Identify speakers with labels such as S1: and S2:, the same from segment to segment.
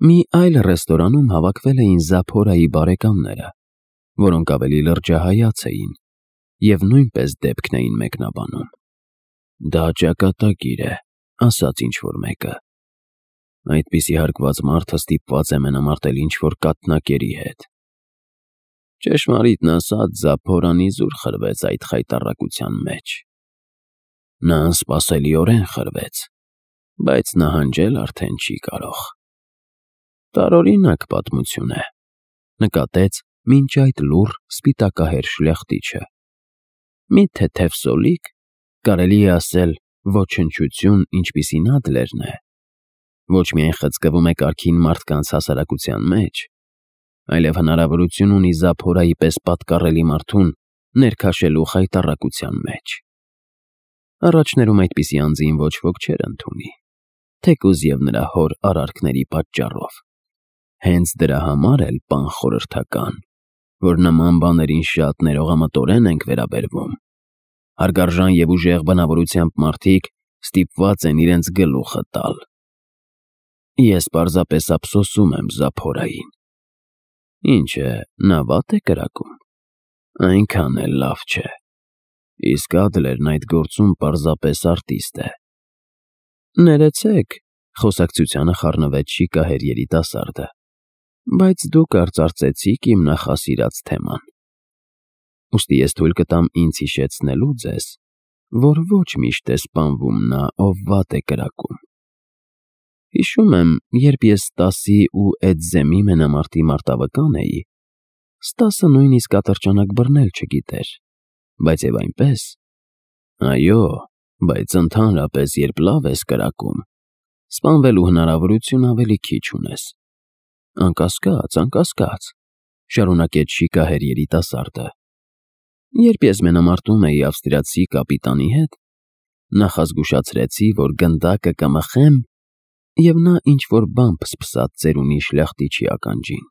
S1: Մի այլ ռեստորանում հավաքվել էին Զափորայի բարեկամները, որոնք ավելի լրջահայաց էին և նույնպես դեպքն էին մեկնաբանում։ «Դա ճակատագիր է», ասաց ինչ-որ մեկը։ «Այդպիսի հարգված մարդը ստիպված է մենամարտել ինչ-որ կաթնակերի հետ»։ Ճշմարիտն ասած, Զափորան իզուր խրվեց այդ խայտառակության մեջ։ Նա անսպասելիորեն խրվեց, բայց նահանջել արդեն չի կարող։ Տարօրինակ պատմություն է, նկատեց մինչ այդ լուռ սպիտակահեր շլյախտիչը։ Մի թեթև սոլիկ, կարելի է ասել ոչնչություն, ինչպիսին Ադլերն է, ոչ միայն խցկվում է կարգին մարդկանց հասարակության մեջ, այլև հնարավորություն ունի Զափորայի պես պատկառելի մարդուն ներքաշելու խայտառակության մեջ։ Առաջներում այդպիսի անձին ոչ ոք չէր ընդունի, թեկուզ և նրա հոր արարքների պատճառով։ Հենց դրա համար էլ, պան խորհրդական, որ նման բաներին շատ ներողամտորեն ենք վերաբերվում։ Հարգարժան և ուժեղ բնավորությամբ մարդիկ ստիպված են իրենց գլուխը տալ։ Ես պարզապես ափսոսում եմ Զափորային։ Ինչ է, նա վատ է կրակում։ Այնքան էլ լավ չէ։ Իսկ Ադլերն այդ գործում պարզապես արտիստ է։ Ներեցեք, խոսակցությանը խառնվեց շիկահեր երիտասարդը, բայց դուք արծարծեցիք իմ նախասիրած թեման։ Ուստի ես թույլ կտամ ինձ հիշեցնելու ձեզ, որ ոչ միշտ է սպանվում նա, ով վատ է կրակում։ Հիշում եմ, երբ ես Ստասի ու Էդզեմի մենամարտի մարտավկան էի, Ստասը նույնիսկ ատրճանակ բռնել չգիտեր, բայց և այնպես։ Այո, բայց ընդհանրապես, երբ լավ ես կրակում, սպանվելու հնարավորություն ավելի քիչ ունես։ Անկասկած, շարունակեց շիկահեր երիտասարդը։ Երբ ես մենամարտում էի ավստրիացի կապիտանի հետ, նախազգուշացրեցի, որ գնդակը կմխեմ, և նա ինչ-որ բան փսփսաց ծերունի շլյախտիչի ականջին։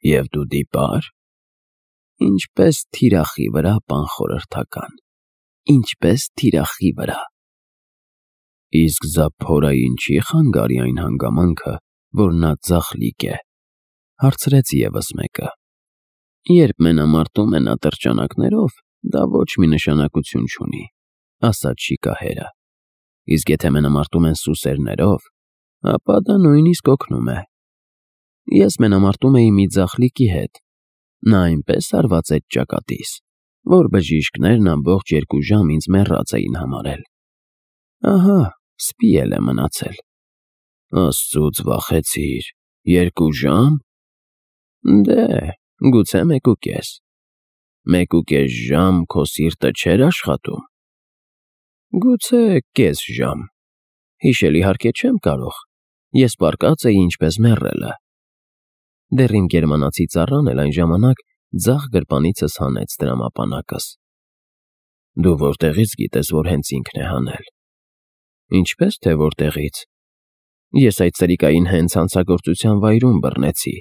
S1: Եվ դու դիպա՞ր։ Ինչպես թիրախի վրա, պան խորհրդական, ինչպես թիրախի վրա։ Իսկ Զափորային չի խանգարի այն հանգամանքը, որ նա ձախլիկ է, հարցրեց ևս մեկը։ Երբ մենամարտում են ատրճանակներով, դա ոչ մի նշանակություն չունի, ասաց շիկահերը։ Իսկ եթե մենամարտում են սուսերներով, ապա դա նույնիսկ օգնում է։ Ես մենամարտում էի մի ձախլիկի հետ, նա այնպես հարված էր ճակատիս, որ բժիշկներն ամբողջ 2 ժամ ինձ մեռած էին համարել։ Ահա, սպի էլ է մնացել։ Աստծուց վախեցիր, 2 ժամ։ Դե, գուցե 1.5։ 1.5 ժամ քո սիրտը չէր աշխատում։ Գուցե կես ժամ։ Հիշել իհարկե չեմ կարող, ես պառկած էի ինչպես մեռելը։ Դեռ իմ գերմանացի ծառան էլ այն ժամանակ ձախ գրպանիցս հանեց տրամապանակս։ Դու որտեղից գիտես, որ հենց ինքն է հանել։ Ինչպես թե որտեղից։ Ես այդ սրիկային հենց հանցագործության վայրում բռնեցի։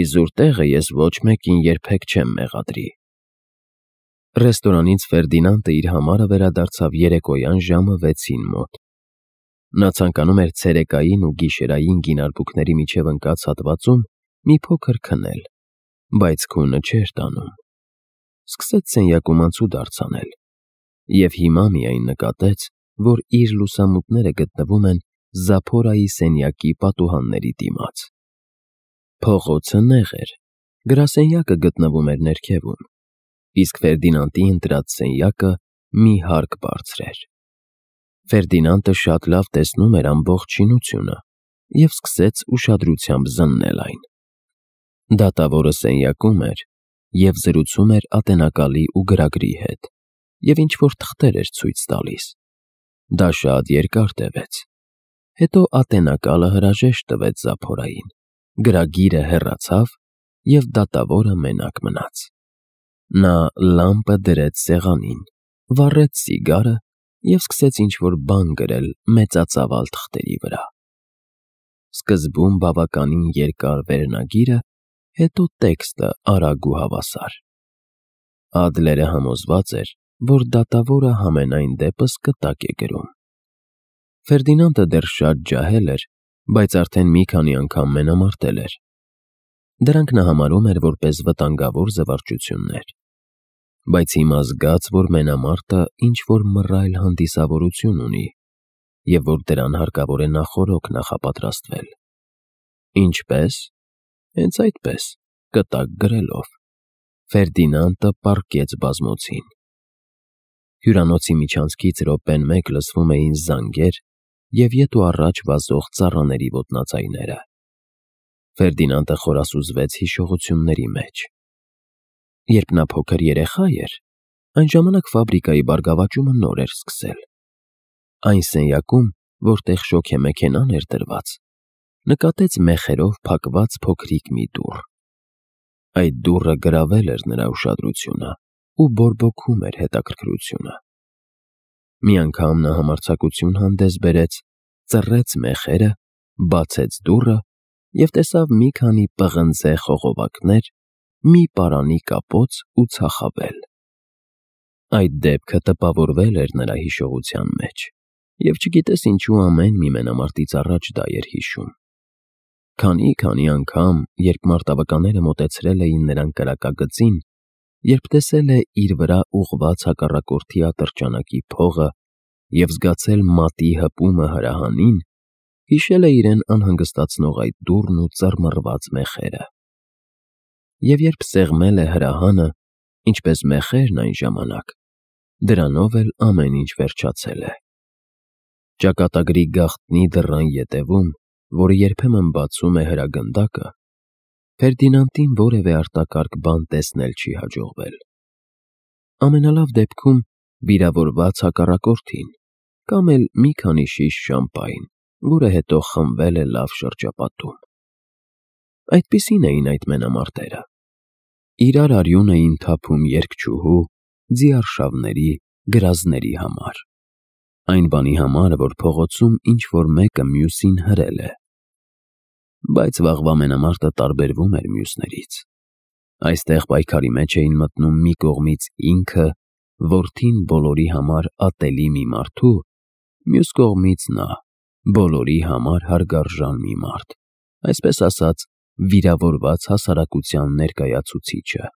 S1: Իզուր տեղը ես ոչ մեկին երբեք չեմ մեղադրի։ Ռեստորանից Ֆերդինանդը իր համարը վերադարձավ երեկոյան ժամը 6-ին մոտ։ Նա ցանկանում էր ցերեկային ու գիշերային գինարբուկների միջև ընկած հատվածում մի փոքր քնել, բայց քունը չէր տանում։ Սկսեց սենյակում անցուդարձ անել և հիմա միայն նկատեց, որ իր լուսամուտները գտնվում են Զափորայի սենյակի պատուհանների դիմաց։ Փողոցը նեղ էր, գրասենյակը գտնվում էր ներքևում, իսկ Ֆերդինանդի ընտրած սենյակը մի հարկ բարձր էր։ Ֆերդինանդը շատ լավ տեսնում էր ամբողջ շինությունը և սկսեց ուշադրությամբ զննել այն։ Դատավորը սենյակում էր և զրուցում էր ատենակալի ու գրագրի հետ և ինչ-որ թղթեր էր ցույց տալիս։ Դա շատ երկար տևեց։ Հետո ատենակալը հրաժեշտ տվեց Զափորային, գրագիրը հեռացավ և դատավորը մենակ մնաց։ Նա լամպը դրեց սեղանին, վառեց սիգարը և սկսեց ինչ-որ բան գրել մեծածավալ թղթերի վրա։ Սկզբում բավականին երկար վերնագիրը, հետո տեքստը արագ ու հավասար։ Ադլերը համոզված էր, որ դատավորը համենայն դեպս կտակ է գրում։ Ֆերդինանդը դեռ շատ ջահել էր, բայց արդեն մի քանի անգամ մենամարտել էր։ Դրանք նա համարում էր որպես վտանգավոր զվարճություններ։ Բայց հիմա զգաց, որ մենամարտը ինչ-որ մռայլ հանդիսավորություն ունի, և որ դրան հարկավոր է նախօրոք նախապատրաստվել։ Ինչպես։ Հենց այդպես, կտակ գրելով։ Ֆերդինանդը պառկեց բազմոցին։ Հյուրանոցի միջանցքից րոպեն մեկ լսվում էին զանգեր և ետ ու առաջ վազող ծառաների ոտնաձայները։ Ֆերդինանդը խորասուզվեց հիշողությունների մեջ։ Երբ նա փոքր երեխա էր, այն ժամանակ ֆաբրիկայի բարգավաճումը նոր էր սկսել։ Այն սենյակում, որտեղ շոգեմեքենան էր դրված, նկատեց մեխերով փակված փոքրիկ մի դուռ։ Այդ դուռը գրավել էր նրա ուշադրությունը ու բորբոքում էր հետաքրքրությունը։ Մի անգամ նա համարձակություն հանդես բերեց, ծռեց մեխերը, բացեց դուռը և տեսավ մի քանի պղնձե խողովակներ, մի պարանի կապոց ու ծախավել։ Այդ դեպքը տպավորվել էր նրա հիշողության մեջ, և չգիտես ինչու ամեն մի մենամարտից առաջ դա էր հիշում։ Քանի անգամ, երբ մարտավականները մոտեցրել էին նրան կրակագծին, երբ տեսել է իր վրա ուղղված հակառակորդի ատրճանակի փողը և զգացել մատի հպումը հրահանին, հիշել է իրեն անհանգստացնող այդ դուռն ու ծռմռված մեխերը։ Եվ երբ սեղմել է հրահանը, ինչպես մեխերն այն ժամանակ, դրանով էլ ամեն ինչ վերջացել է։ Ճակատագրի գաղտնի դռան ետևում, որը երբեմն բացում է հրագնդակը, Ֆերդինանդին որևէ արտակարգ բան տեսնել չի հաջողվել։ Ամենալավ դեպքում վիրավորված հակառակորդին, կամ էլ մի քանի շիշ շամպայն, որը հետո խմվել է լավ շրջապատում։ Այդպիսին էին այդ մենամարտերը։ Իրար արյուն էին թափում երգչուհու, ձիարշավների, գրազների համար։ Այն բանի համար, որ փողոցում ինչ-որ մեկը մյուսին հրել է։ Բայց վաղվա մենամարտը տարբերվում էր մյուսներից։ Այստեղ պայքարի մեջ էին մտնում մի կողմից ինքը, որդին բոլորի համար ատելի մի մարդու, մյուս կողմից նա, բոլորի համար հարգարժան մի մարդ, այսպես ասած, վիրավորված հասարակության ներկայացուցիչը։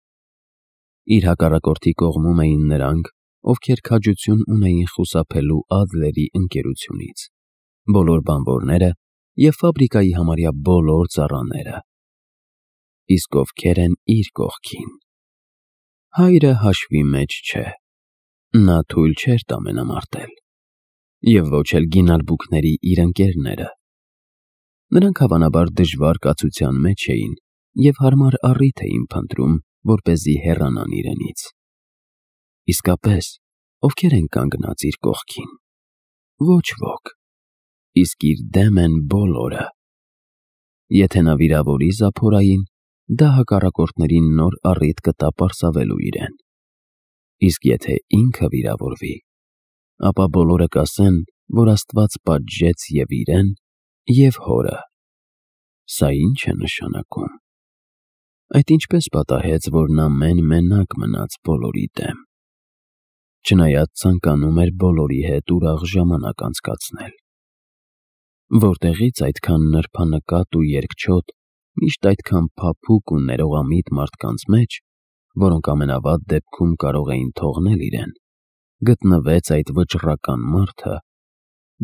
S1: Իր հակառակորդի կողմում էին նրանք, ովքեր քաջություն ունեին խուսափելու Ադլերի ընկերությունից, բոլոր բանվորները և ֆաբրիկայի համարյա բոլոր ծառաները։ Իսկ ովքեր են իր կողքին։ Հայրը հաշվի մեջ չէ։ Նա թույլ չէր տա մենամարտել։ Եվ ոչ էլ գինալբուկների իր ընկերները։ Նրանք հավանաբար դժվար կացության մեջ էին և հարմար առիթ էին փնտրում, որպեսզի հեռանան իրենից։ Իսկապես, ովքեր են կանգնած իր կողքին։ Ոչ ոք։ Իսկ իր դեմ են բոլորը։ Եթե նա վիրավորի Զափորային, դա հակառակորդներին նոր առիթ կտա պարսավելու իրեն։ Իսկ եթե ինքը վիրավորվի, ապա բոլորը կասեն, որ Աստված պատժեց և իրեն, և հորը։ Սա ի՞նչ է նշանակում։ Այդ ինչպես պատահեց, որ նա մենակ մնաց բոլորի դեմ։ Չնայած ցանկանում էր բոլորի հետ ուրախ ժամանակ անցկացնել։ Որտեղից այդքան նրբանկատ ու երկչոտ, միշտ այդքան փափուկ ու ներողամիտ մարդկանց մեջ, որոնք ամենավատ դեպքում կարող էին թողնել իրեն, գտնվեց այդ վճռական մարդը,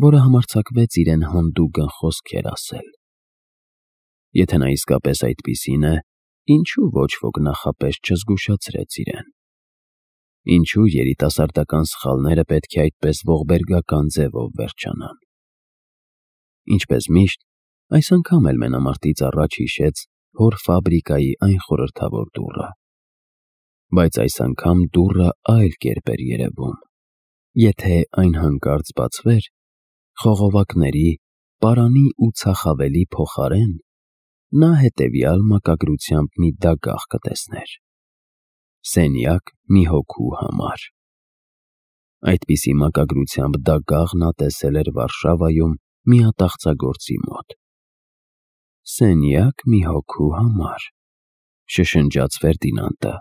S1: որը համարձակվեց իրեն հանդուգն խոսքեր ասել։ Եթե նա իսկապես այդպիսին է, ինչու ոչ ոք նախապես չզգուշացրեց իրեն։ Ինչու երիտասարդական սխալները պետք է այդպես ողբերգական ձևով վերջանան։ Ինչպես միշտ, այս անգամ էլ մենամարտից առաջ հիշեց հոր ֆաբրիկայի այն խորհրդավոր դուռը։ Բայց այս անգամ դուռը այլ կերպ էր երևում։ Եթե այն հանկարծ բացվեր, խողովակների, պարանի ու ծախավելի փոխարեն նա հետևյալ մակագրությամբ մի դագաղ կտեսներ. Սենյակ մի հոգու համար։ Այդպիսի մակագրությամբ դագաղ նա տեսել էր Վարշավայում մի ատաղծագործի մոտ։ Սենյակ մի հոգու համար, շշնջաց Ֆերդինանդը։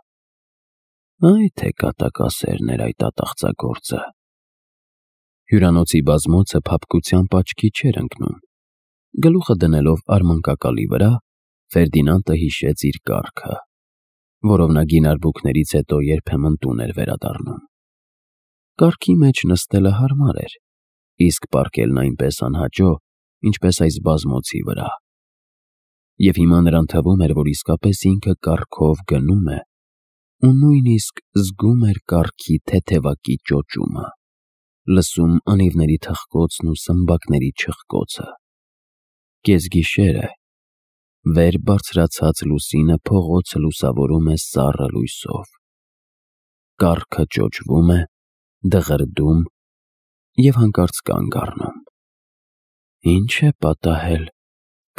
S1: Այ թե կատակասերն էր այդ ատաղծագործը։ Հյուրանոցի բազմոցը փափկությամբ աչքի չէր ընկնում։ Գլուխը դնելով արմանկակալի վրա, Ֆերդինանդը հիշեց իր կառքը, որով նա գինարբուքներից հետո երբեմն տուն էր վերադառնում։ Կառքի մեջ նստելը հարմար էր, իսկ պառկելն այնպես անհաճո, ինչպես այս բազմոցի վրա։ Եվ հիմա նրան թվում էր, որ իսկապես ինքը կառքով գնում է ու նույնիսկ զգում էր կառքի թեթևակի ճոճումը, լսում անիվների թխկոցն ու սմբակների չխկոցը։ Կեսգիշեր է, վեր բարձրացած լուսինը փողոցը լուսավորում է սառը լույսով։ Կառքը ճոճվում է, դղրդում և հանկարծ կանգ առնում։ Ինչ է պատահել,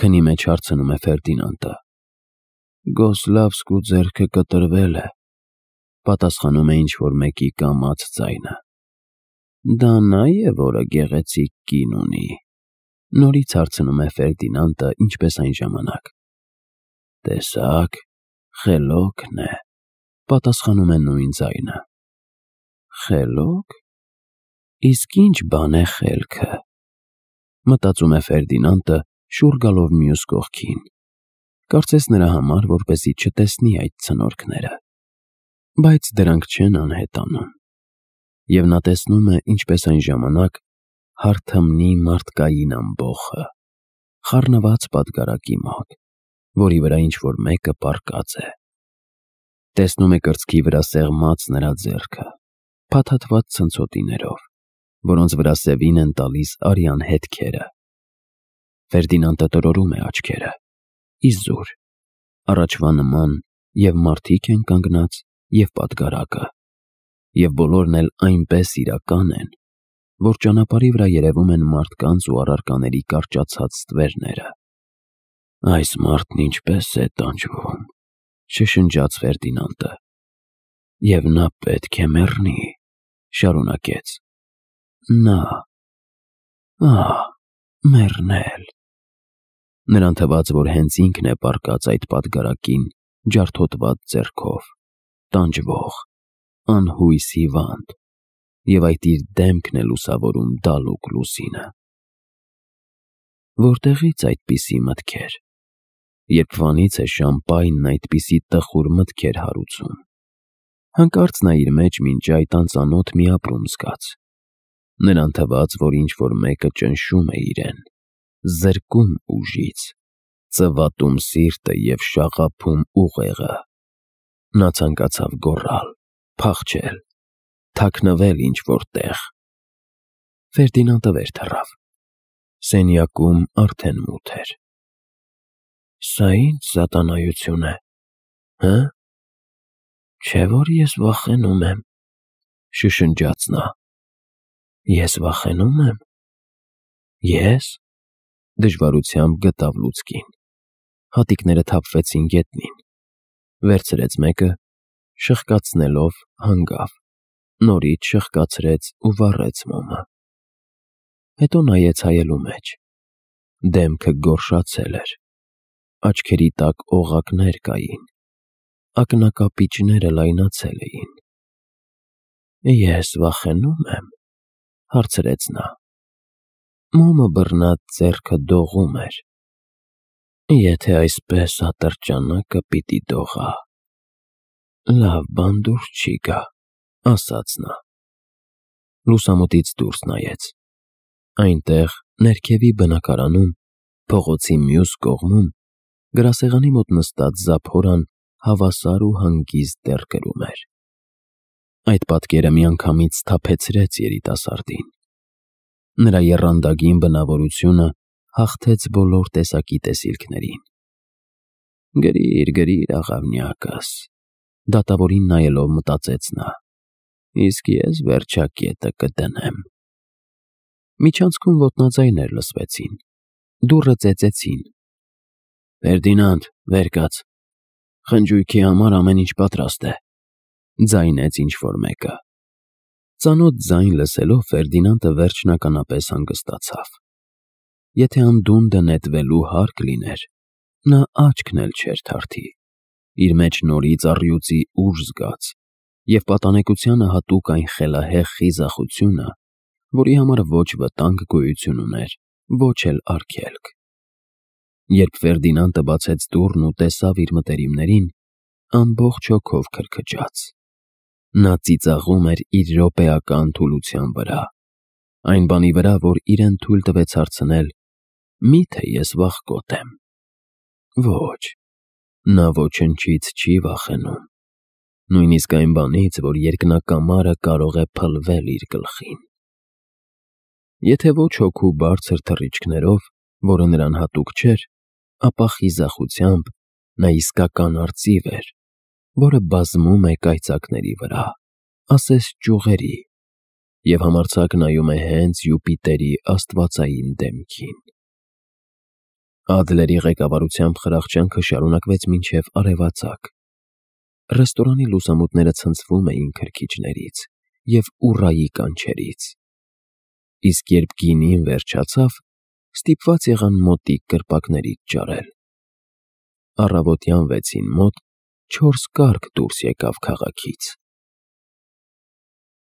S1: քնի մեջ հարցնում է Ֆերդինանդը։ Գոսլավսկու ձեռքը կտրվել է, պատասխանում է ինչ-որ մեկի կամաց ձայնը։ Դա նա է, որը գեղեցիկ կին ունի, նորից հարցնում է Ֆերդինանդը ինչպես այն ժամանակ։ Տեսակ, խելոքն է, պատասխանում է նույն ձայնը։ Խելոք։ Իսկ ինչ բան է խելքը, մտածում է Ֆերդինանդը, շուռ գալով մյուս կողքին, կարծես նրա համար, որպեսզի չտեսնի այդ ցնորքները, բայց դրանք չեն անհետանում, և նա տեսնում է, ինչպես այն ժամանակ հարթմնի մարդկային ամբոխը, խառնված պատգարակի մոտ, որի վրա ինչ-որ մեկը պառկած է։ Տեսնում է կրծքի վրա սեղմած նրա ձեռքը, փաթաթված ցնցոտիներով, որոնց վրա սևին են տալիս արյան հետքերը։ Ֆերդինանդը տրորում է աչքերը, իզուր, առաջվա նման և մարդիկ են կանգնած, և պատգարակը, և բոլորն էլ այնպես իրական են, որ ճանապարհի վրա երևում են մարդկանց ու առարկաների կարճացած ստվերները։ Այս մարդն ինչպես է տանջվում, շշնջաց Ֆերդինանդը։ Եվ նա պետք է մեռնի, շարունակեց։ Նա, մեռնել։ Նրան թվաց, որ հենց ինքն է պառկած այդ պատգարակին ջարդոտված ձեռքով, տանջվող, անհույս հիվանդ, և այդ իր դեմքն է լուսավորում դալուկ լուսինը։ Որտեղի՞ց այդպիսի մտքեր, երբվանից է Շամպայնն այդպիսի տխուր մտքեր հարուցում։ Հանկարծ նա իր մեջ մինչ այդ անծանոթ մի ապրում զգաց։ Նրան թվաց, որ ինչ-որ մեկը ճնշում է իրեն, զրկում ուժից, ծվատում սիրտը և շաղափում ուղեղը։ Նա ցանկացավ գոռալ, փախչել, թաքնվել ինչ-որ տեղ։ Ֆերդինանդը վեր թռավ։ Սենյակում արդեն մութ էր։ Սա ի՞նչ սատանայություն է, հը՞։ Չէ՞ որ ես վախենում եմ, շշնջաց նա։ Ես վախենո՞ւմ եմ։ Ես։ Դժվարությամբ գտավ լուցկին։ Հատիկները թափվեցին գետնին։ Վերցրեց մեկը, շխկացնելով հանգավ, նորից շխկացրեց ու վառեց մոմը։ Հետո նայեց հայելու մեջ։ Դեմքը գորշացել էր, աչքերի տակ օղակներ կային, ակնակապիճները լայնացել էին։ Ես վախենո՞ւմ եմ, հարցրեց նա։ Մոմը բռնած ձեռքը դողում էր։ Եթե այսպես ատրճանակը պիտի դողա։ Լավ բան դուրս չի գա, ասաց նա։ Լուսամուտից դուրս նայեց։ Այնտեղ, ներքևի բնակարանում, փողոցի մյուս կողմում, գրասեղանի մոտ նստած Զափորան հավասար ու հանգիստ դեռ գրում էր։ Այդ պատկերը միանգամից սթափեցրեց երիտասարդին։ Նրա եռանդագին բնավորությունը հաղթեց բոլոր տեսակի տեսիլքներին։ Գրիր, գրիր, աղավնյակս, դատավորին նայելով մտածեց նա, իսկ ես վերջակետը կդնեմ։ Միջանցքում ոտնաձայներ լսվեցին, դուռը ծեծեցին։ Ֆերդինանդ, վեր կաց, խնջույքի համար ամեն ինչ պատրաստ է, ձայնեց ինչ-որ մեկը։ Ծանոթ ձայն լսելով Ֆերդինանդը վերջնականապես հանգստացավ։ Եթե անդունդը նետվելու հարկ լիներ, նա աչքն էլ չէր թարթի, իր մեջ նորից առյուծի ուժ զգաց, և պատանեկությանը հատուկ այն խելահեղ խիզախությունը, որի համար ոչ վտանգ գոյություն ուներ, ոչ էլ արգելք։ Երբ Ֆերդինանդը բացեց դուռն ու տեսավ իր մտերիմներին, ամբողջ հոգով քրքջաց։ Նա ծիծաղում էր իր րոպեական թուլության վրա, այն բանի վրա, որ իրեն թույլ տվեց հարցնել. «Մի՞թե ես վախկոտ եմ»։ Ոչ, նա ոչնչից չի վախենում, նույնիսկ այն բանից, որ երկնակամարը կարող է փլվել իր գլխին։ Եթե ոչ հոգու բարձր թռիչքներով, որը նրան հատուկ չէր, ապա խիզախությամբ նա իսկական արծիվ էր, որը բազմում է կայծակների վրա, ասես ճյուղերի, և համարձակ նայում է հենց Յուպիտերի աստվածային դեմքին։ Ադլերի ղեկավարությամբ խրախճանքը շարունակվեց մինչև արևածագ։ Ռեստորանի լուսամուտները ցնցվում էին քրքիջներից և ուռայի կանչերից, իսկ երբ գինին վերջացավ, ստիպված եղան մոտիկ կրպակներից ջարել։ Առավոտյան 6-ին մոտ 4 կառք դուրս եկավ քաղաքից։